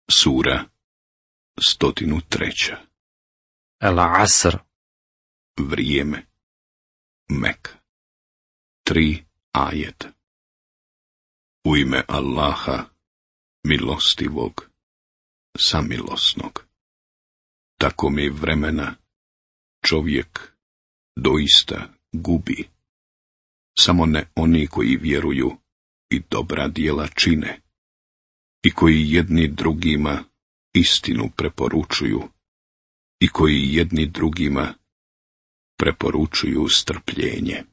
Sura 103. Al-Asr. Vrijeme. Mek. 3 ajeta. U ime Allaha, milostivog, samilosnog. Tako mi vremena čovjek doista gubi. Samo ne oni koji vjeruju i dobra djela čine, i koji jedni drugima istinu preporučuju, i koji jedni drugima preporučuju strpljenje.